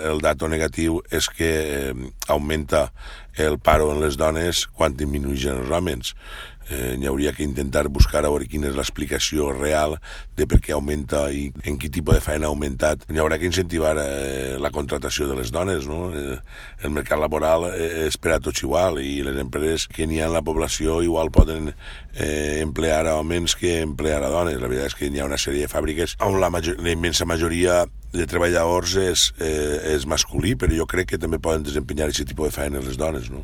El dato negatiu és que augmenta el paro en les dones quan disminueixen els homes. Hi hauria que intentar buscar a veure quina és l'explicació real de per què augmenta i en quin tipus de feina ha augmentat. Hi haurà que incentivar la contratació de les dones, no? El mercat laboral és per a tots igual i les empreses que n'hi ha en la població igual poden emplear a homes que emplear a dones. La veritat és que hi ha una sèrie de fàbriques on la immensa majoria de treballadors és masculí, però jo crec que també poden desempenyar aquest tipus de feina les dones, no?